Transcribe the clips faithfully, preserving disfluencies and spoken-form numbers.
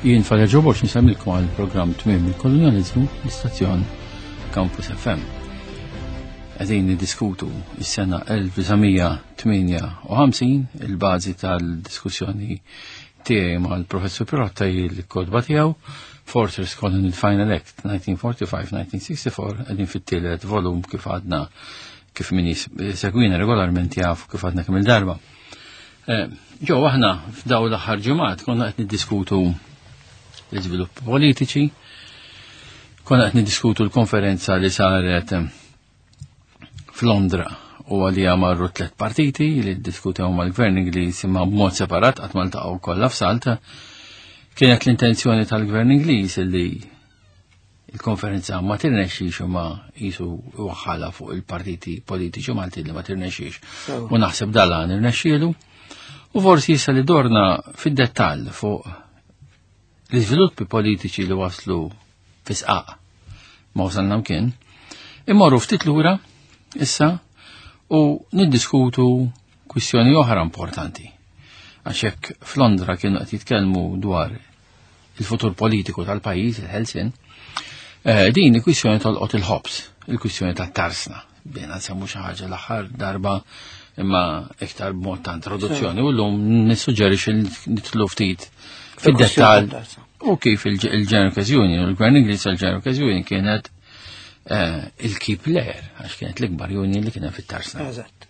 Jien Father Joe Borg nsellmilkom għal programm Tmiem il-Kolonjaliżmu, l-istazzjon Campus F M. Qegħdin niddiskutu is-sena elf disa' mija tmienja u ħamsin. Il-bażi tal-diskussjoni tiegħi mal-Professur Pirotta hi l-kotba tiegħu Fortress Colony Final Act elf disa' mija erbgħa u ħamsin elf disa' mija sitta u erbgħin. Qegħdin fit-tielet volum, kif għadna, kif min segwina regolarment jaf kif għadna kemm il-darba. Eh, Ġo, aħna f'daw l-aħħar ġimgħat konna qed niddiskutu l-iżvilupp politiċi, konna qed niddiskutu l-konferenza li saret eh, f'Londra u għalija marru tlet partiti li ddiskutew mal-gvern Ingliż, imma b'mod separat, qatt ma ltaqgħu kollha f'salt. Kienet l-intenzjoni tal-gvern Ingliż li il-konferenza ma tirnexxix, ma jisu waħħala fuq il-partiti politiċi Malti li ma tirnexxix. U naħseb dalan irnexxielu. U forsi issa li dorna fid-dettall fuq l-iżviluppi politiċi li waslu fisqaq ma wasalna mkien, immorru ftit lura issa u niddiskutu kwistjoni oħra importanti. Għax hekk f'Londra kienu qed jitkellmu dwar il-futur politiku tal-pajjiż, il-ħelsien, eh, din il-kwistjoni tolqot il-ħobs, il-kwistjoni tat-tarsna. Bena nsemmu xi ħaġa l-aħħar darba, imma iktar b'mod ta' introduzzjoni, u llum nissuġġerixxi nidħlu ftit fid-dettall u kif il-General Workers Union, il-Gvern Ingliż, il-General Workers Union kienet eh, il-key player, għax kienet l-ikbar union li kienet fit-tarsna. Eżatt.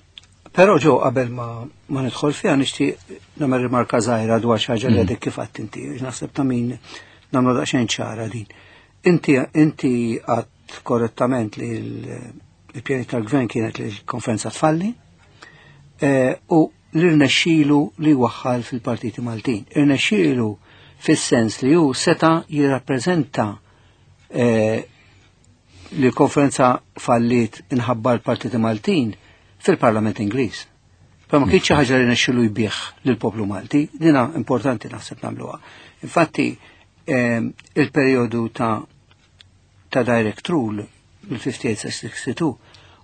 Però ġo qabel ma, ma nidħol fiha, nixtieq nagħmel rimarka żgħira dwar xi ħaġa li għadek kif għedt inti. Naħseb ta' min nagħmlu daqsxejn ċara din. Inti inti għedt korrettament li l-pjani tal-gvern kienet li l-konferenza tfalli eh, u li rnexxielu li waħħal fil-partiti Maltin. Irnexxielu fis-sens li hu seta' jirrappreżenta eh, li l-konferenza fallit inħabba l-partiti Maltin fil-Parlament Ingliż. Però ma kienx xi ħaġa li rnexxielu jbigħ lill-poplu Malti, dina importanti naħseb nagħmluha. Infatti eh, il-perjodu ta' ta' direct rule mill-ħamsa u ħamsin sa sitta u sittin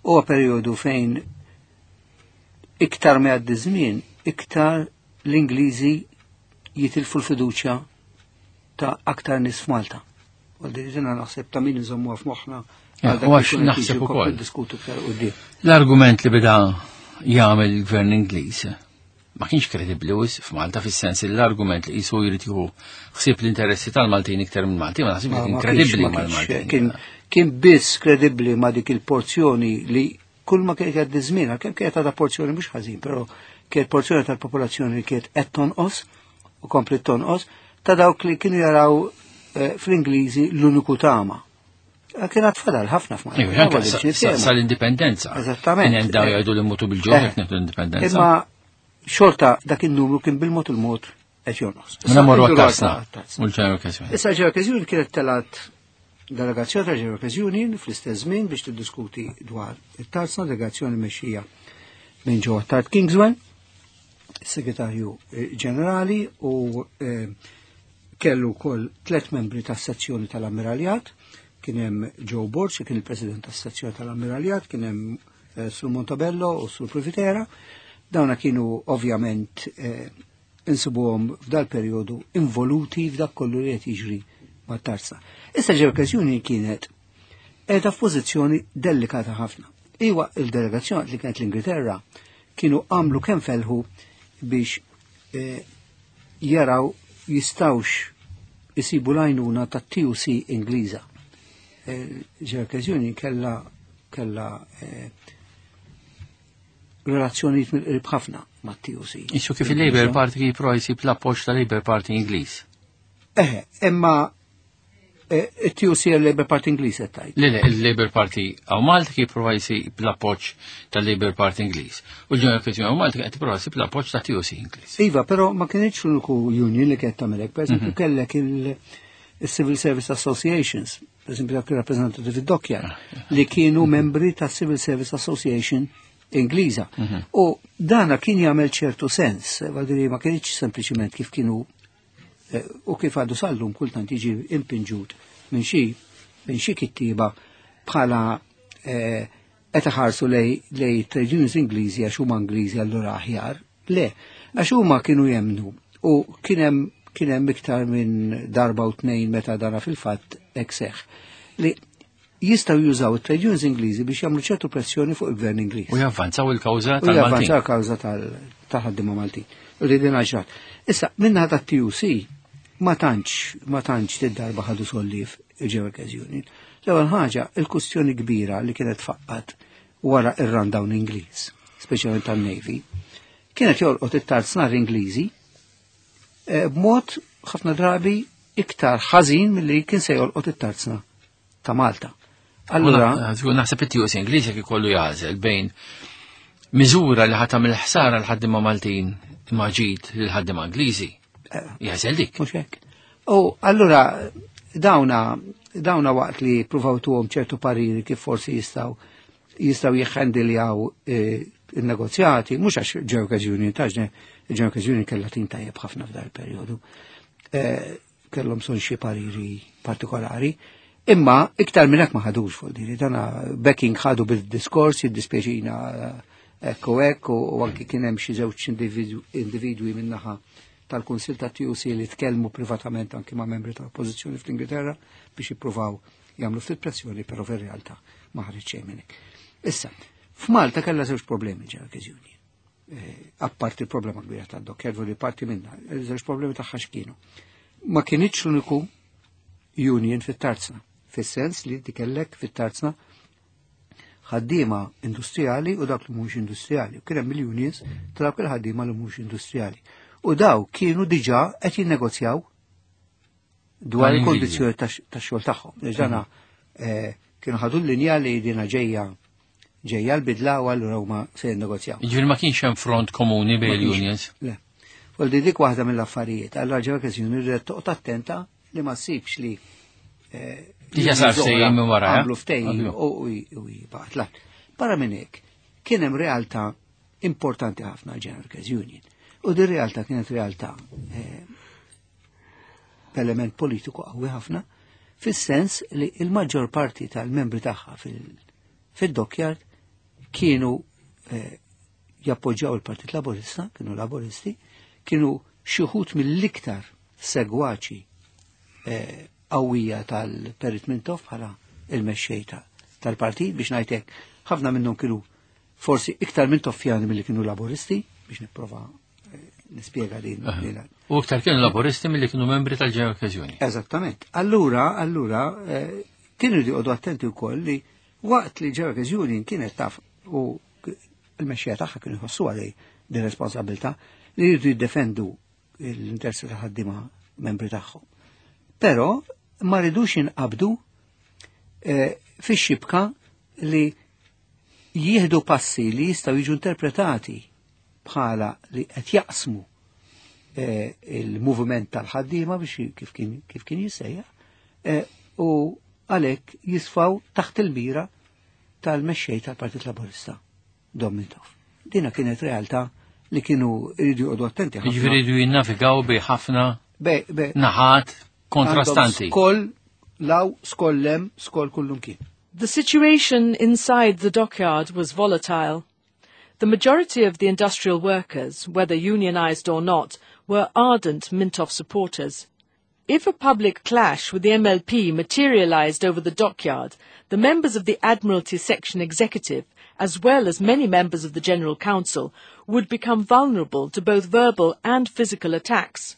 huwa perjodu fejn iktar ma jgħaddi żmien, iktar l-Ingliżi jitilfu l-fiduċja ta' aktar nies f'Malta. U dina naħseb ta' min nżommuha f'moħħna Ja, għal dak u li għax jkun qed naħseb jiġi ukoll. Diskutu iktar quddiem. L-argument li beda jagħmel il-gvern Ingliż ma kienx kredibbli wis f'Malta, fis-sens li l-argument li qisu jrid jieħu ħsieb l-interessi tal-Maltin iktar minn Malti, ma naħseb Ma- kien ma kredibbli kienx- ma kienx- mal-Maltin. Kien, kien biss kredibbli ma dik il-porzjoni li kull ma kienet jgħaddi żmien, għalkemm kienet għadha porzjoni mhux ħażin, però kienet porzjoni tal-popolazzjoni li kienet qed tonqos u komplet tonqos ta' dawk li kienu jaraw eh, fl-Ingliżi l-uniku tama. Eh, Kien għad fadal ħafna f'Malta. Iva, anke Għal sa- biex niftehmu. sa- Sal-indipendenza. Eżattament. Kien hemm daw jgħidu li mutu bil-ġuħ Eh, jekk nieħdu l-indipendenza. Imma xorta dak il-numru kien bil-mod il-mod qed jonqos. Mela morru Issa, għat-tarsna. għat-tarsna. U l-General Workers Union. Issa General Workers Union kienet telat delegazzjoni ta' General Workers Union fl-istess żmien biex tiddiskuti dwar it-tarsna, delegazzjoni mexxija minn Joe Attard Kingswell, segretarju eh, ġenerali, u eh, kellu wkoll tlet membri tas-sezzjoni tal-Ammiraljat, kien hemm Joe Borg, li kien il-president tas-sezzjoni tal-Ammiraljat, kien hemm eh, Sur Montebello u Sur Privitera. Dawna kienu ovvjament eh, insibuhom f'dal perjodu involuti f'dak kollu li qed jiġri mat-tarsna. Issa General Workers Union kienet qiegħda f'pożizzjoni delikata ħafna. Iwa, il-delegazzjoni li kienet l-Ingilterra kienu għamlu kemm felħu biex eh, jaraw jistawx isibu l-għajnuna ta' T U C Ingliża. General Workers Union kella kella eh, relazzjonijiet mill-qrib ħafna ma' T U C. Issu kif il-Labour Party kif jipprova jsib l-appoġġ ta' Labour Party Ingliż. Eh, imma eh, it-T U C, il-Labour Party Ingliż qed tgħid? Le, le, il-Labour Party hawn Malta kif jipprova jsib l-appoġġ tal-Labour Party Ingliż. U l-General Workers Union hawn Malta qed jipprova jsib l-appoġġ ta' T U C Ingliż. Iva, però ma kienx l-uniku union li kienet tagħmel hekk. Per eżempju, kellek il-Civil Service Associations, per eżempju dak il-rappreżentanti fid-Dockyard, li kienu membri ta' Civil Service Association Ingliża. U dana kien jagħmel ċertu sens, vuol ma kienx sempliċiment kif kienu eh, u kif għadu sallum kultant jiġi impinġut minn xi minn xi kittiba bħala eh, qed iħarsu lej lej trade unions Ingliżi għax huma Ingliżi allura aħjar. Le, għax huma kienu jemnu u kien hemm kien hemm iktar minn darba u tnejn meta dana fil-fatt hekk seħħ. Li jistgħu jużaw it-trade unions Ingliżi biex jagħmlu ċertu pressjoni fuq il-gvern Ingliż. U javvanzaw il-kawża U tal-Maltin. javvanzaw il-kawża tal-ħaddiema Maltin. U li din ġrat. Issa, minna ta' T U C ma tantx, ma tantx tid-darba ħadu solliev il-General Workers Union. L-ewwel ħaġa, il-kustjoni kbira li kienet faqqat wara ir-rundown Ingliż, speċjalment tan-Navy, kienet jolqot it-tarznar Ingliżi eh, b'mod ħafna drabi iktar ħażin milli kien se jolqot it-tarzna ta' Malta. Allura, Allura, naħseb it-T U C Ingliż jekk ikollu jagħżel bejn miżura li ħa tagħmel ħsara l-ħaddiema Maltin imma ġid lil-ħaddiema Ingliżi. Jagħżel dik. Mhux hekk. U allura dawna dawna waqt li pruvaw tuhom ċertu pariri kif forsi jistgħu jistgħu jiħħendiljaw eh, il-negozjati, mhux għax General Workers Union, taġne General Workers Union kellha tim tajjeb ħafna f'dar il-perjodu. Eh, kellhom son xi pariri partikolari. Imma iktar minn hekk ma ħadux fuq diri, dana backing ħadu bil-diskors, jiddispjaċina hekk u hekk, u u anki kien hemm xi żewġ individwi individwi min-naħa tal-Kunsil ta' T U C li tkellmu privatament anki ma' membri tal-Oppożizzjoni fl-Ingilterra biex jippruvaw jagħmlu ftit pressjoni, però fir-realtà ma ħareġ xejn minn hekk. Issa, f'Malta kellha żewġ problemi General Workers Union. Eh, apparti il-problema kbira tad-dockyard, li parti minna, żewġ problemi tagħha x'kienu. Ma kienitx l-uniku union fit-tarzna, fis-sens li inti kellek fit-tarzna ħaddiema industrijali u dak li mhux industrijali. U kien hemm il-unions ta' dawk il-ħaddiema li mhux industrijali. U daw kienu diġà qed jinnegozjaw dwar Mal-Ingliżi. Il-kondizzjoni tax-xogħol tagħhom. Dana eh, kienu ħadu l-linja li dina ġejja ġejja l-bidla u allura huma se jinnegozjaw. Jiġifieri ma kienx hemm front komuni bejn Ma kienx. il-unions. Le. Fuq di dik waħda mill-affarijiet. Allora General Workers Union ridet toqgħod attenta li ma ssibx li eh, Diġà sar unions oħra ftehim minn wara, eh? għamlu ftehim Għamlu. u u jibgħat. La. Barra minn hekk, kien hemm realtà importanti ħafna għal General Workers Union. U din realtà kienet realtà eh, element politiku qawwi ħafna, fis-sens li il-maġġor parti tal-membri tagħha fil- fil-dockyard kienu eh, jappoġġjaw il-Partit Laburista, kienu laburisti, kienu xi wħud mill-iktar segwaċi eh, qawwija tal-Perit Mintoff bħala il-mexxej ta- tal-partit, biex ngħidlek ħafna minnhom kienu forsi iktar Mintoffjani milli kienu laburisti, biex nipprova eh, nispjega din. din U iktar kienu laburisti milli kienu membri tal-General Workers Union. Eżattament. Allura, allura, eh, kienu joqogħdu attenti wkoll li waqt li General Workers Union kienet taf u il-mexxija tagħha kienu jħossu għalej din responsabilità li jridu jiddefendu l-interessi ta' ħaddiema membri tagħhom. Però ma ridux jinqabdu eh, fix-xibka li jieħdu passi li jistgħu jiġu interpretati bħala li qed jaqsmu eh, il-movement tal-ħaddiema biex kif kien kif kien jissejjaħ eh, u għalhekk jisfaw taħt il-mira tal-mexxej tal-Partit Laburista, Dom Mintoff. Dina kienet realtà li kienu jridu joqogħdu attenti ħafna. Jiġifieri jridu jinnavigaw bi ħafna Be, be, naħat kontrastanti. għandhom Skoll 'l hawn, skoll 'l hemm, skoll kullumkien. The situation inside the dockyard was volatile. The majority of the industrial workers, whether unionized or not, were ardent Mintoff supporters. If a public clash with the M L P materialized over the dockyard, the members of the Admiralty Section Executive, as well as many members of the General Council, would become vulnerable to both verbal and physical attacks.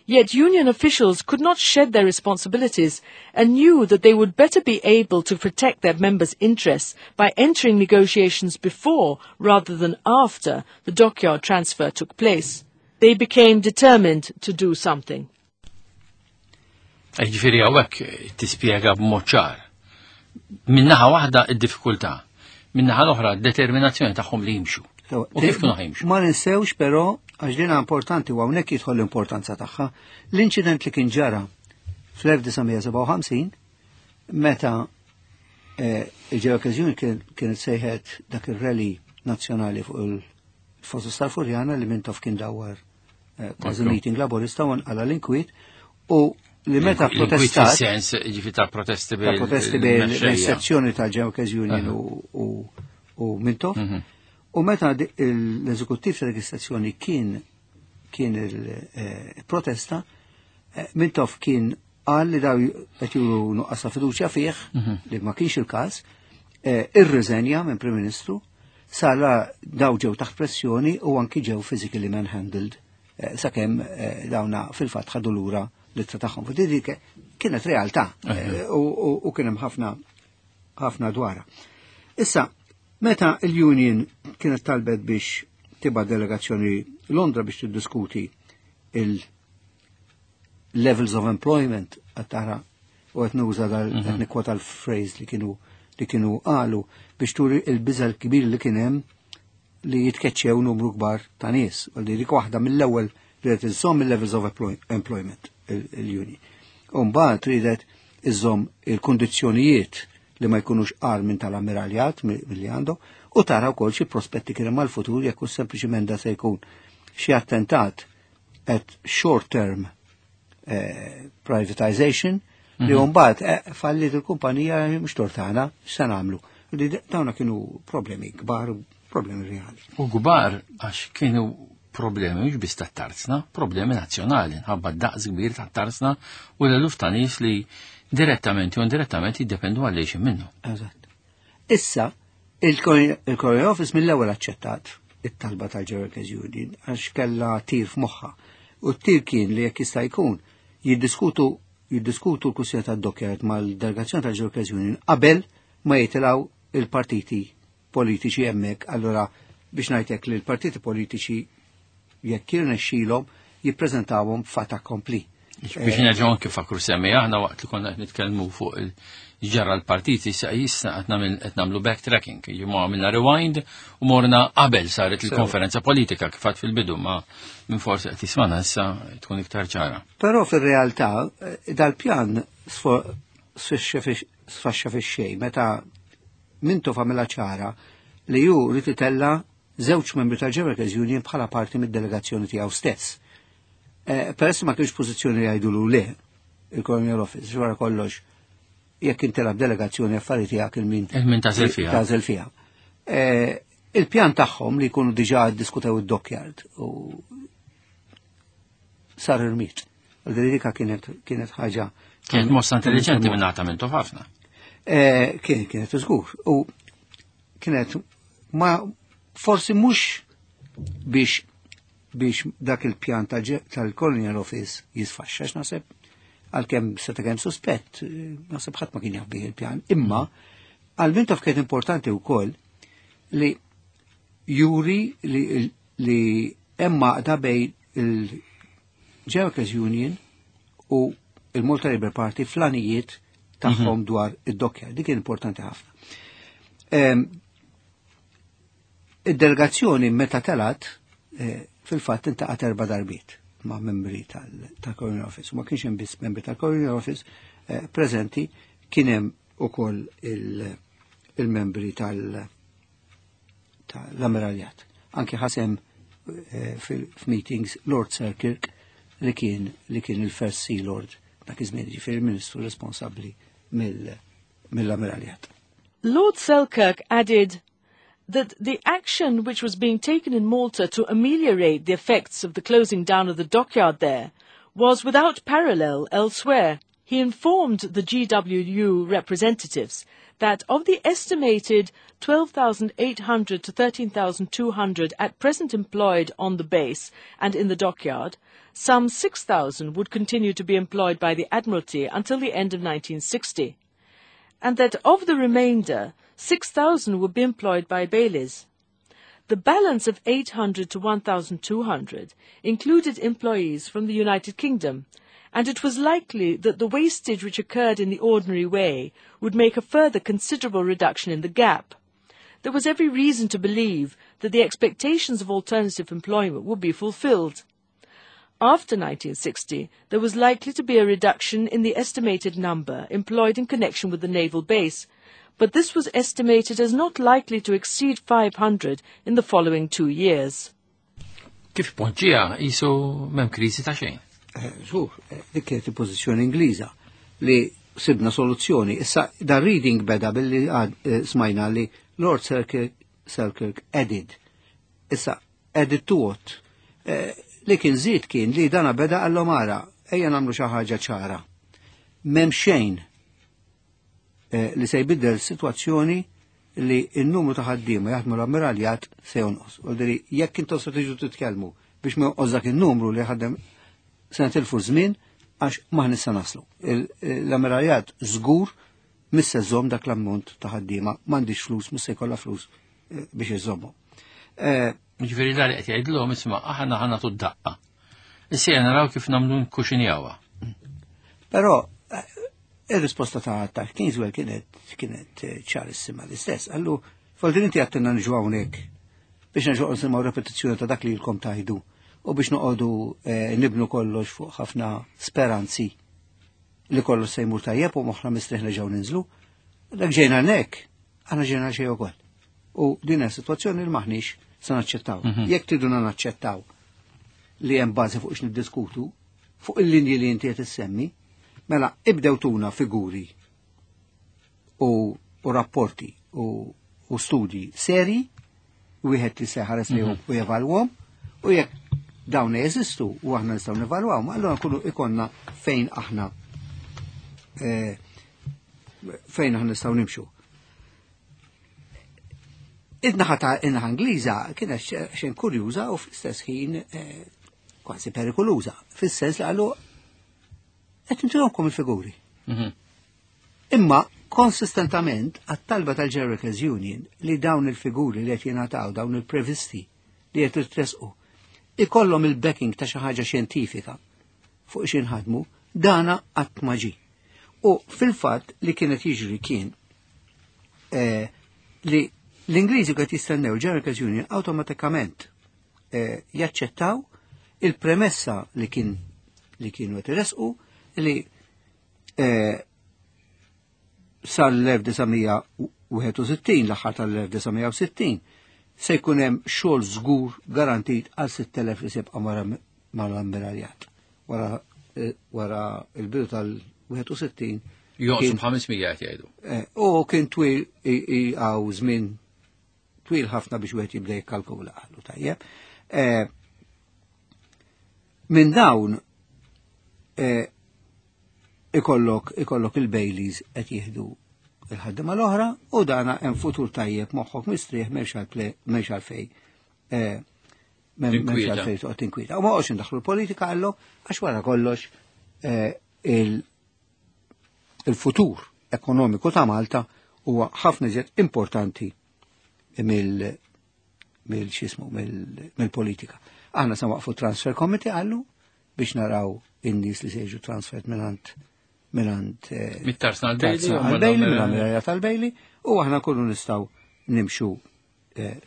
Yet union officials could not shed their responsibilities and knew that they would better be able to protect their members' interests by entering negotiations before rather than after the dockyard transfer took place. They became determined to do something. Ġifieri hawnhekk tispjega b'mod ċar. Min-naħa waħda id-diffikultà, min-naħa l-oħra determinazzjoni tagħhom li jimxu. U kif kienu ħa jimxu? Ma ninsewx però, għax dina importanti u hawnhekk jidħol l-importanza tagħha, l-inċident li kien ġara fl-elf disa' mija sebgħa u ħamsin meta eh, il-General Workers Union kienet sejħet dak ir-rally nazzjonali fuq il-Fosos tal-Furjana li Mintoff kien dawar eh, kważi Ekku. meeting laburista u nqala l-inkwiet u li meta L-inkwiet protestat fis-sens ġifieri ta' protesti ta' protesti bil-sezzjoni tal-General Workers Union u- u u Mintoff. Mhm. U meta di- l-eżekuttiv tal-registrazzjoni kien kien il-protesta, Mintoff kien qal li daw qed juru nuqqas ta' fiduċja fih, li ma kienx il-każ, irriżenja minn Prim Ministru, sala daw ġew taħt pressjoni u anki ġew physically manhandled sakemm dawna fil-fatt ħadu lura l-ittra tagħhom. Dik kienet realtà u kien hemm ħafna ħafna dwarha. Issa, meta il-Union kienet talbet biex tibgħat delegazzjoni Londra biex tiddiskuti il-levels of employment għattara u qed nuża dal qed nikkwota l-phrase li kienu li kienu qalu biex turi il-biża l-kbir li kien hemm li jitkeċċew numru kbar ta' nies. U li dik waħda mill-ewwel li qed iżżomm il-levels of employment il-union. U mbagħad ridet iżżomm il-kundizzjonijiet li ma jkunux qar minn tal-ammiraljat milli għandu u tara wkoll xi prospetti kien hemm għall-futur jekk hux sempliċiment da se jkun xi attentat at short term eh, privatization li mbagħad eh, fallit il-kumpanija mhux tort tagħna x'se nagħmlu. Li dawna kienu problemi kbar, problemi reali. U kbar għax kienu problemi mhux biss tat-tarzna, problemi nazzjonali, nħabba daqs kbir tat-tarzna u l-eluf ta' nies li direttament u indirettament jiddependu għal minnu. Eżatt. Issa, il-Colonial Office mill-ewwel aċċettat it-talba tal-General Workers Union għax kellha tir f'moħħha. U t-tir kien li jekk jista' jkun jiddiskutu jiddiskutu l-kwistjoni tad-dockyard mal-delegazzjoni tal-General Workers Union qabel ma jitilgħu il-partiti politiċi hemmhekk. Allura biex ngħidlek li l-partiti politiċi jekk jirnexxilhom jippreżentawhom fait accompli. Biex nerġgħu anke fakru semmi aħna waqt li konna qed nitkellmu fuq il-ġara l-partiti issa issa qed nagħmlu backtracking, jiġu għamilna rewind u morna qabel saret il-konferenza politika kif għad fil-bidu ma minn forsi qed jismana issa tkun iktar ċara. Però fir-realtà dal-pjan sfaxxa fix-xejn meta Mintoff għamilha ċara li hu ried itella' żewġ membri tal-General Workers Union bħala parti mid-delegazzjoni tiegħu stess. Peress ma kienx pożizzjoni li jgħidulu le il-Colonial Office, wara kollox jekk intelab delegazzjoni affari tiegħek il-min Il-min tagħżel fiha. Tagħżel fiha. Il-pjan tagħhom li jkunu diġà ddiskutew id-dockyard u sar irmit. Dika kienet kienet ħaġa. Kienet mossa intelligenti minn għata minn ħafna. Kien kienet żgur. U kienet ma forsi mhux biex biex dak il-pjan tal-Colonial Office jisfaxxa, naħseb għalkemm seta' kemm suspett, naħseb ħadd ma kien jaf bih il-pjan. Imma għal Mintoff kienet importanti wkoll li juri li li hemm għaqda bejn il-General Workers Union u il-Malta Labour Party fl-għanijiet tagħhom dwar id-dockyard. Dik kien importanti ħafna. Id-delegazzjoni meta telat fil-fatt iltaqgħet erba' darbiet ma' membri tal-Colonial Office. U ma kienx hemm biss membri tal-Colonial Office preżenti, kien hemm ukoll il-membri tal-Ammiraljat. Anki ħa sehem f'meetings Lord Selkirk li kien li kien il-First Sea Lord dak iż-żmien, ġifieri il-Ministru responsabbli mill-Ammiraljat. Lord Selkirk added that the action which was being taken in Malta to ameliorate the effects of the closing down of the dockyard there was without parallel elsewhere. He informed the G W U representatives that of the estimated twelve thousand eight hundred to thirteen thousand two hundred at present employed on the base and in the dockyard, some six thousand would continue to be employed by the Admiralty until the end of nineteen sixty, and that of the remainder, six thousand would be employed by Bayleys. The balance of eight hundred to one thousand two hundred included employees from the United Kingdom, and it was likely that the wastage which occurred in the ordinary way would make a further considerable reduction in the gap. There was every reason to believe that the expectations of alternative employment would be fulfilled. After nineteen sixty, there was likely to be a reduction in the estimated number employed in connection with the naval base, but this was estimated as not likely to exceed five hundred in the following two years. Kif poġġieha qisu m'hemm kriżi ta' xejn? Żgur, dik kienet il-pożizzjoni Ingliża li sibna soluzzjoni. Issa da reading beda billi smajna li Lord Selkirk, Selkirk added. Issa added to what? Li kien żied kien li dana beda għallhom ara, ejja nagħmlu xi ħaġa ċara. M'hemm xejn eh, li se jbiddel sitwazzjoni li n-numru ta' ħaddiema jaħdmu l-ammiraljat se jonqos. U diri jekk intom se tiġu titkellmu biex ma jonqos dak in-numru li ħaddem se nitilfu żmien għax maħni se naslu. L-ammiraljat żgur mhux se żżomm dak l-ammont ta' ħaddiema, m'għandix flus, mhux se jkollha flus eh, biex iżommu. Eh, Ġifieri dan qed jgħidlhom isma' aħna ħa nagħtu d-daqqa. Issa naraw kif nagħmlu nkuxinjawha. Però eh, ir-risposta ta' ta' Kingswell kienet kienet ċarissima l-istess. Qallu, Foldin inti għedtilna niġu hawnhekk biex nerġgħu nisimgħu repetizzjoni ta' dak li lkom tgħidu u biex noqogħdu nibnu kollox fuq ħafna speranzi li kollox se jmur tajjeb u moħħna mistrieħ nerġgħu ninżlu. Dak ġejna hekk, aħna ġejna xejn ukoll. U din hija sitwazzjoni li maħniex se naċċettaw. Jekk triduna naċċettaw li hemm bażi fuq x'niddiskutu, fuq il-linji li inti qed issemmi, mela ibdew tuna figuri u, u rapporti u, u studji seri, wieħed li se ħares lejhom u jevalwhom, u jekk dawn jeżistu u aħna nistgħu nevalwawhom, allura nkunu ikonna fejn aħna eh, fejn aħna nistgħu nimxu. Id-naħa ta' in-naħa Ingliża kienet xejn kurjuża u fl-istess ħin eh, kważi perikoluża, fis-sens li qalu qed intuhomkom il-figuri. Imma konsistentament għat-talba tal-General Workers Union li dawn il-figuri li qed jingħataw, dawn il-previsti li qed jitresqu, ikollhom il-backing ta' xi ħaġa xjentifika fuq x'inħadmu, dana qatt ma ġie. U fil-fatt li kienet jiġri kien eh, li l-Ingliżi qed jistennew il-General Workers Union awtomatikament eh, jaċċettaw il-premessa li kien li kienu qed iresqu li eh, sal-elf disa' mija wieħed u sittin, l-aħħar tal-elf disa' mija sittin, se jkun hemm xogħol żgur garantit għal sitt elef li se jibqa' mal-ammiraljat. Wara eh, wara il-bidu tal-wieħed u sittin Jonqsu b'ħames mija qed jgħidu. Eh, u kien twil għaw żmien twil ħafna biex wieħed jibda jikkalkula qalu tajjeb. Eh, minn dawn eh, ikollok ikollok il-Baileys qed jieħdu il-ħaddima l-oħra u dana hemm futur tajjeb, moħħok mistrieħ, m'hemmx għalfejn m'hemmx għalfejn toqgħod tinkwieta. U ma qgħodx indaħlu l-politika qallu għax wara kollox il-futur ekonomiku ta' Malta huwa ħafna iżjed importanti mill mill xismu mill-politika. Aħna se waqfu transfer committee qallu biex naraw in-nies li se jiġu transfer mingħand mingħand Mit-tarsna għal-Bailey. Għal-Bailey, minn tal-Bailey, u aħna kullu nistgħu nimxu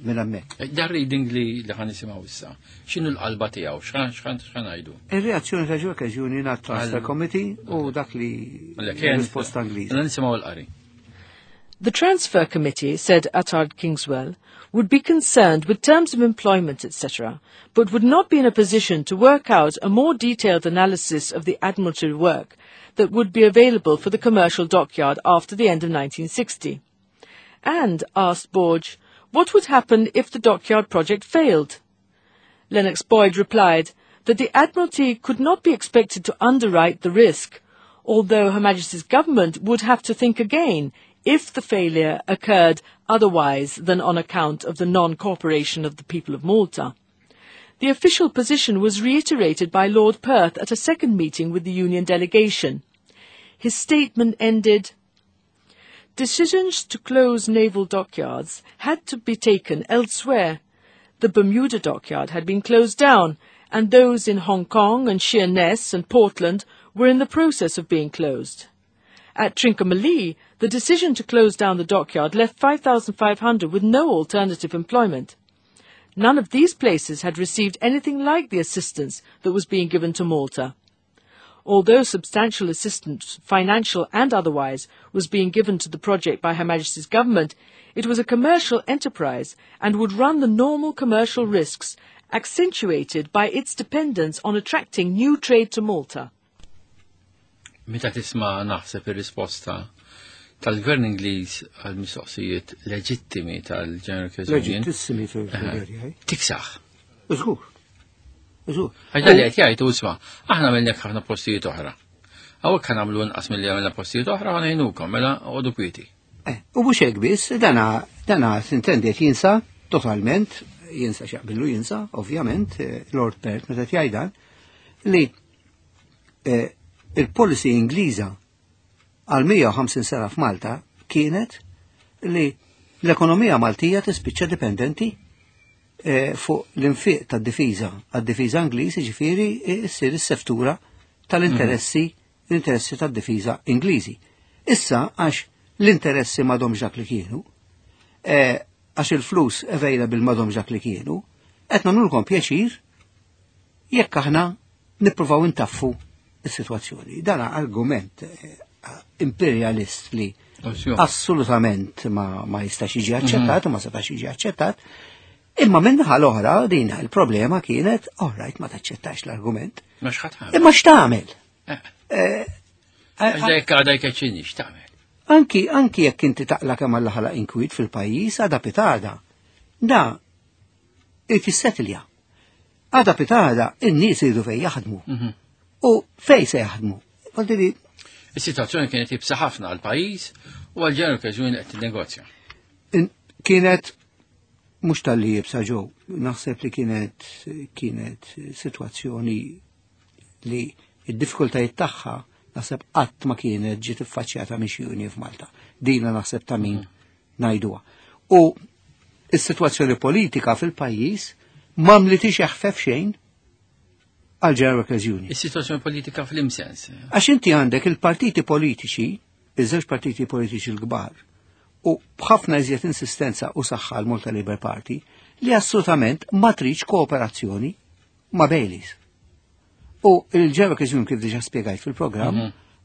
minn hemmhekk. Dan reading li li ħa nisimgħu issa, x'inhu l-qalba tiegħu, x'ħa ngħidu? Ir-reazzjoni ta' Workers Union għat Transfer Committee u dak li risposta Ingliża. Nisimgħu l-qari. The Transfer Committee, said Attard Kingswell, would be concerned with terms of employment, et cetera, but would not be in a position to work out a more detailed analysis of the Admiralty work that would be available for the commercial dockyard after the end of nineteen sixty. And, asked Borg, what would happen if the dockyard project failed? Lennox Boyd replied that the Admiralty could not be expected to underwrite the risk, although Her Majesty's government would have to think again if the failure occurred otherwise than on account of the non-cooperation of the people of Malta. The official position was reiterated by Lord Perth at a second meeting with the Union delegation. His statement ended, "Decisions to close naval dockyards had to be taken elsewhere. The Bermuda dockyard had been closed down, and those in Hong Kong and Sheerness and Portland were in the process of being closed. At Trincomalee, the decision to close down the dockyard left five thousand five hundred with no alternative employment. None of these places had received anything like the assistance that was being given to Malta. Although substantial assistance, financial and otherwise, was being given to the project by Her Majesty's government, it was a commercial enterprise and would run the normal commercial risks, accentuated by its dependence on attracting new trade to Malta." Meta tisma' naħseb ir-risposta tal-Gvern Ingliż għal mistoqsijiet leġittimi tal-General Union. Leġittissimi fil-Bulgarija. Tiksaħ. Żgur. Għax dan li qed jgħid isma', aħna għamilna ħafna postijiet oħra. Hawnhekk ħa nagħmlu inqas milli għamilna postijiet oħra, ħa ngħinukom, mela għodu kwieti. Eh, u mhux hekk biss, dana dana s'intendi qed jinsa totalment, jinsa x'jaqbillu jinsa, ovvjament, eh, Lord Perth meta jgħid dan, li eh, il-policy Ingliża għal mija u ħamsin sena f'Malta kienet li l-ekonomija Maltija tispiċċa dipendenti eh, fuq l-infiq tad-difiża, għad-difiża Ingliż, ġifieri ssir is-seftura tal-interessi l-interessi tad-difiża Ingliżi. Issa għax l-interessi m'għadhomx dak li kienu, eh, għax il-flus available m'għadhomx dak li kienu, qed nagħmlulkom pjaċir jekk aħna nippruvaw intaffu is-sitwazzjoni. Dan argument eh, imperialist li assolutament ma, ma jistax jiġi aċċettat u ma setax jiġi aċċettat. Imma min-naħa l-oħra din il-problema kienet, all right, ma taċċettax l-argument. Ma x'ħa Imma x'tagħmel? Eh, Għax dajk għadha jkeċċini, x'tagħmel? Anki, anki jekk inti taqla kemm Alla ħalaq inkwiet fil-pajjiż, għada pitgħada. Da, jissettilja. Għada pitgħada, in-nies iridu fejn jaħdmu. U fej se jaħdmu? Voldiri, Is-sitwazzjoni kienet iebsa ħafna għal pajjiż u għal General Workers Union qed tinnegozja. in- kienet mhux talli iebsa ġew, naħseb li kienet kienet sitwazzjoni li id-diffikultajiet tagħha naħseb qatt ma kienet ġiet iffaċċjata minn xi union f'Malta. Dina naħseb ta' min ngħiduha. U is-sitwazzjoni politika fil-pajjiż m'għamlitix eħfef xejn għal General Workers Union. Is-sitwazzjoni politika fl-imsens. Għax inti għandek il-partiti politiċi, iż-żewġ partiti politiċi l-kbar, u b'ħafna iżjed insistenza u saħħa l-Malta Labour Party li assolutament ma tridx kooperazzjoni ma' Baileys. U il-General Workers Union, kif diġà spjegajt fil-programm,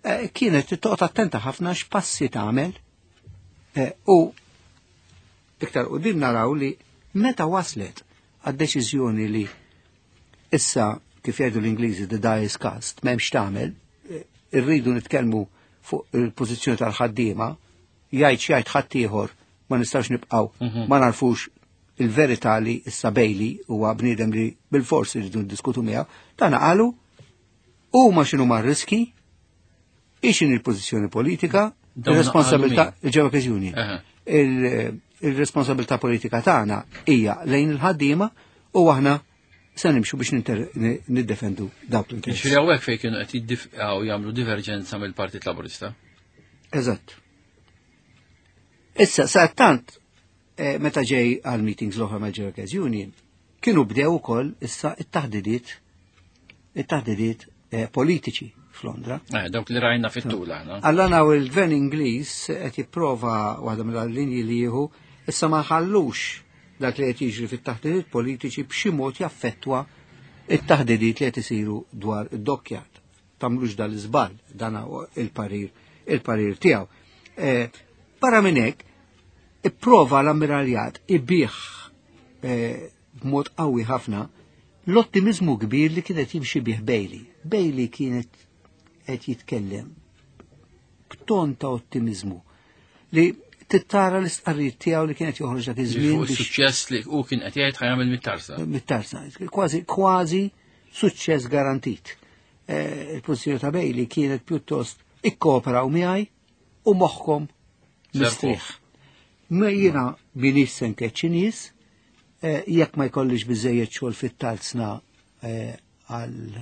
eh, kienet toqgħod attenta ħafna x'passi tagħmel eh, u iktar quddiem naraw li meta waslet għad-deċiżjoni li issa, kif jgħidu l-Ingliżi, the die is cast, m'hemmx tagħmel, eh, irridu nitkellmu fuq il-pożizzjoni tal-ħaddiema, jgħid x'jgħid ħaddieħor ma nistax nibqgħu ma narfux il-verità li issa Bailey huwa bniedem li bil-forsi rridu ndiskutu miegħu, tana qalu huma x'inhu ma riski, ixin il-pożizzjoni politika, Dawn il-responsabilità qalu min? il-General Workers Union. Aha. Il- Il-responsabilità politika tagħna hija lejn il-ħaddiema u aħna se nimxu biex ninter- ni- niddefendu dawk l-interessi. Ġifieri hawnhekk fejn kienu qed jiddifqgħu jagħmlu diverġenza mill-Partit Laburista. Eżatt. Issa, sa tant, eh, meta ġej għal meetings l-oħra mal General Workers Union, kienu bdew ukoll issa it-taħdidiet it-taħdidiet eh, politiċi f'Londra. Eh, dawk li rajna fit-tul aħna. Alla naw il-gvern Ingliż qed jipprova waħda mill-linji li jieħu issa ma ħallux dak li qed jiġri fit-taħdidiet politiċi b'xi mod jaffettwa it-taħdidiet li qed isiru dwar id-dockyard. Tagħmlux dal-iżball, dan huwa il-parir il-parir tiegħu. Eh, Barra minn hekk, ipprova l-ammiraljat ibih eh, b'mod qawwi ħafna l-ottimizmu kbir li kienet jimxi bih Bailey. Bailey kienet qed jitkellem b'ton ta' ottimizmu li tittara l-istqarrijiet tiegħu li kienet joħroġ dak iż-żmien Fuq biex is-suċċess li hu kien qed jgħid ħa jagħmel mit-tarzna. mit-tarzna, kważi kważi suċċess garantit. Eh, Il-pożizzjoni ta' Bailey kienet pjuttost ikkooperaw miegħi u moħħkom mistrieħ. Ma jiena minix se nkeċċi nies, eh, jekk ma jkollix biżejjed xogħol fit-tarzna eh, għal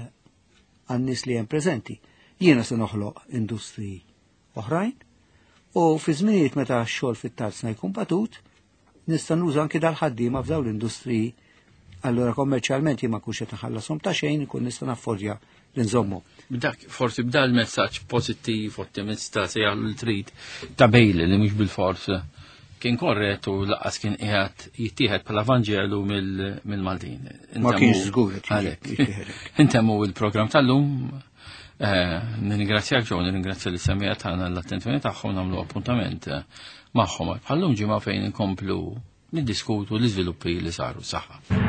għan-nies li hemm preżenti. Jiena se noħloq industriji oħrajn u fi żminijiet meta x-xogħol fit-tarzna jkun batut, nista' nuża anki dal-ħaddiema f'dawn l-industriji. Allura kommerċjalment jien ma nkunx qed nħallasom ta' xejn, ikun nista' naffordja li nżommu. Dak forsi b'da l-messaġġ pożittiv, ottimista, se jagħmlu li trid ta' Bailey li mhux bil-fors kien korret u lanqas kien qiegħed jittieħed bħala Vanġelu mill- mill-Maltin. Ma kienx żgur qed Għalhekk. jittieħed. Intemmu il-programm tal-lum. Eh, Nirringrazzjak ġew, nirringrazzja lis-semmiegħa tagħna l-attenzjoni tagħhom, nagħmlu appuntament eh, magħhom bħallum ġimgħa fejn inkomplu niddiskutu l-iżviluppi li saru. Saħħa.